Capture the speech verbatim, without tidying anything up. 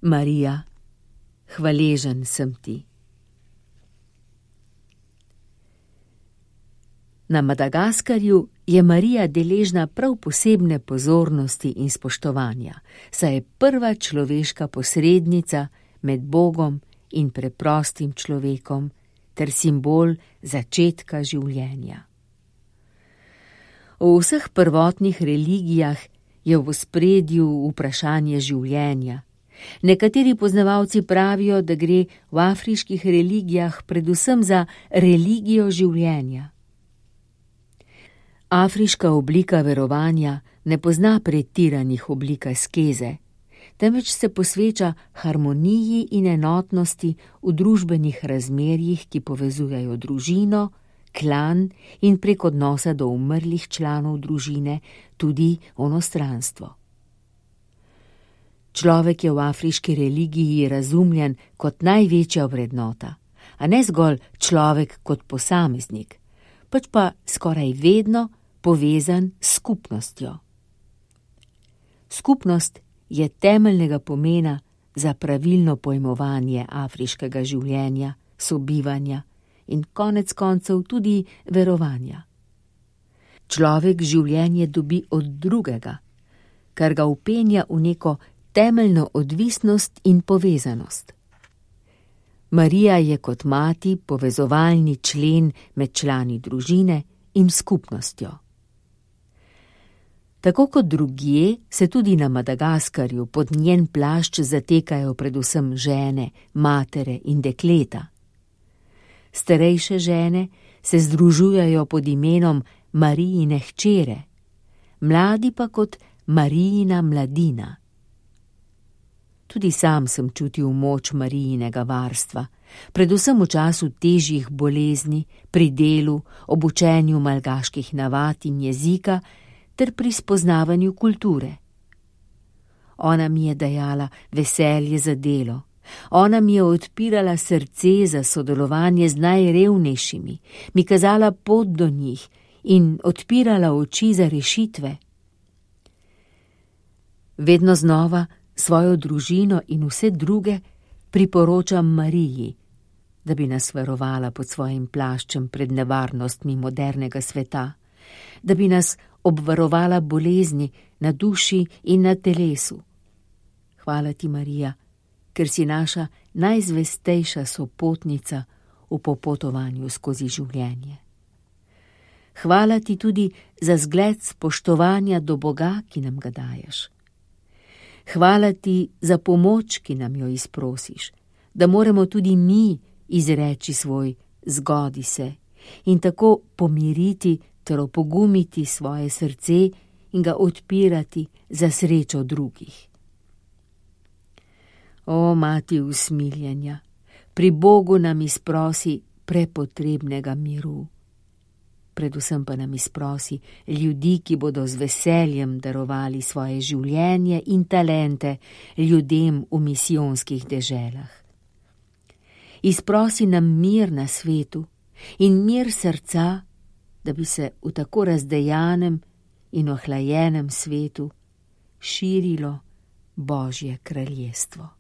Marija, hvaležen sem ti. Na Madagaskarju je Marija deležna prav posebne pozornosti in spoštovanja, saj je prva človeška posrednica med Bogom in preprostim človekom ter simbol začetka življenja. V vseh prvotnih religijah je v ospredju vprašanje življenja. Nekateri poznavalci pravijo, da gre v afriških religijah predvsem za religijo življenja. Afriška oblika verovanja ne pozna pretiranih oblik askeze, temveč se posveča harmoniji in enotnosti v družbenih razmerjih, ki povezujejo družino, klan in prek odnosa do umrlih članov družine tudi onostranstvo. Človek je v afriški religiji razumljen kot največja vrednota, a ne zgolj človek kot posameznik, pač pa skoraj vedno povezan s skupnostjo. Skupnost je temeljnega pomena za pravilno pojmovanje afriškega življenja, sobivanja in konec koncev tudi verovanja. Človek življenje dobi od drugega, kar ga vpenja v neko temeljno odvisnost in povezanost. Marija je kot mati povezovalni člen med člani družine in skupnostjo. Tako kot drugje se tudi na Madagaskarju pod njen plašč zatekajo predvsem žene, matere in dekleta. Starejše žene se združujejo pod imenom Marijine hčere, mladi pa kot Marijina mladina. Tudi sam sem čutil moč Marijinega varstva, predvsem v času težjih bolezni, pri delu, ob učenju malgaških navad in jezika ter pri spoznavanju kulture. Ona mi je dajala veselje za delo, ona mi je odpirala srce za sodelovanje z najrevnejšimi, mi kazala pot do njih in odpirala oči za rešitve. Vedno znova svojo družino in vse druge priporočam Mariji, da bi nas varovala pod svojim plaščem pred nevarnostmi modernega sveta, da bi nas obvarovala bolezni na duši in na telesu. Hvala ti, Marija, ker si naša najzvestejša sopotnica v popotovanju skozi življenje. Hvala ti tudi za zgled spoštovanja do Boga, ki nam ga daješ. Hvala ti za pomoč, ki nam jo izprosiš, da moremo tudi mi izreči svoj zgodi se in tako pomiriti ter opogumiti svoje srce in ga odpirati za srečo drugih. O, mati usmiljenja, pri Bogu nam izprosi prepotrebnega miru. Predvsem pa nam izprosi ljudi, ki bodo z veseljem darovali svoje življenje in talente ljudem v misijonskih deželah. Izprosi nam mir na svetu in mir srca, da bi se v tako razdejanem in ohlajenem svetu širilo Božje kraljestvo.